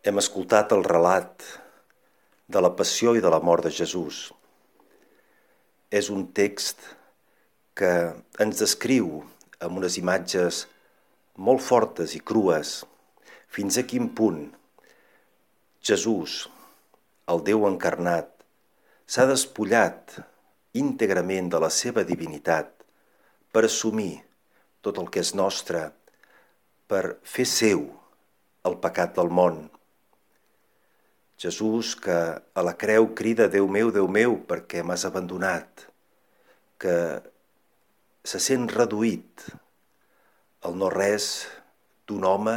Hem escoltat el relat de la passió i de la mort de Jesús. És un text que ens descriu amb unes imatges molt fortes i crues fins a quin punt Jesús, el Déu encarnat, s'ha despullat íntegrament de la seva divinitat per assumir tot el que és nostre, per fer seu el pecat del món. Jesús, que a la creu crida Déu meu, per què m'has abandonat? Que se sent reduït al no-res d'un home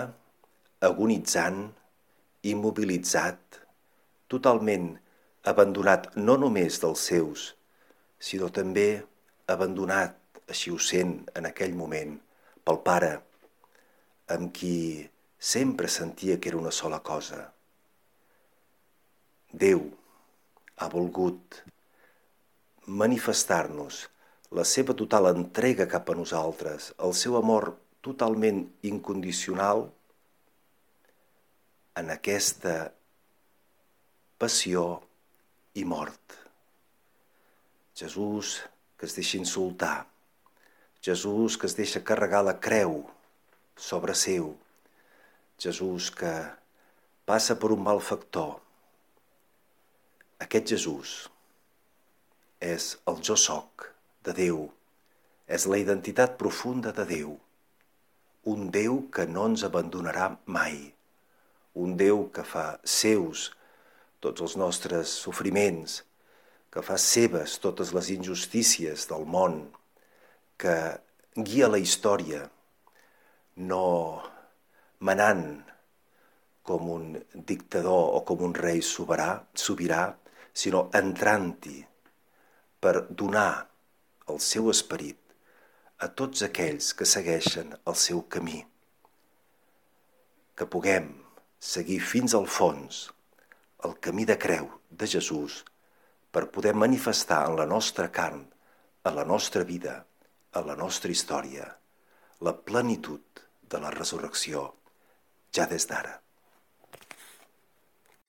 agonitzant, immobilitzat, totalment abandonat no només dels seus, sinó també abandonat, així ho sent en aquell moment, pel Pare, amb qui sempre sentia que era una sola cosa. Déu ha volgut manifestar-nos la seva total entrega cap a nosaltres, el seu amor totalment incondicional en aquesta passió i mort. Jesús que es deixa insultar, Jesús que es deixa carregar la creu sobre seu, Jesús que passa per un malfactor. Aquest Jesús és el jo soc de Déu, és la identitat profunda de Déu, un Déu que no ens abandonarà mai, un Déu que fa seus tots els nostres sofriments, que fa seves totes les injustícies del món, que guia la història, no manant com un dictador o com un rei sobirà, sinó entrant-hi per donar el seu esperit a tots aquells que segueixen el seu camí. Que puguem seguir fins al fons el camí de creu de Jesús per poder manifestar en la nostra carn, en la nostra vida, en la nostra història, la plenitud de la resurrecció ja des d'ara.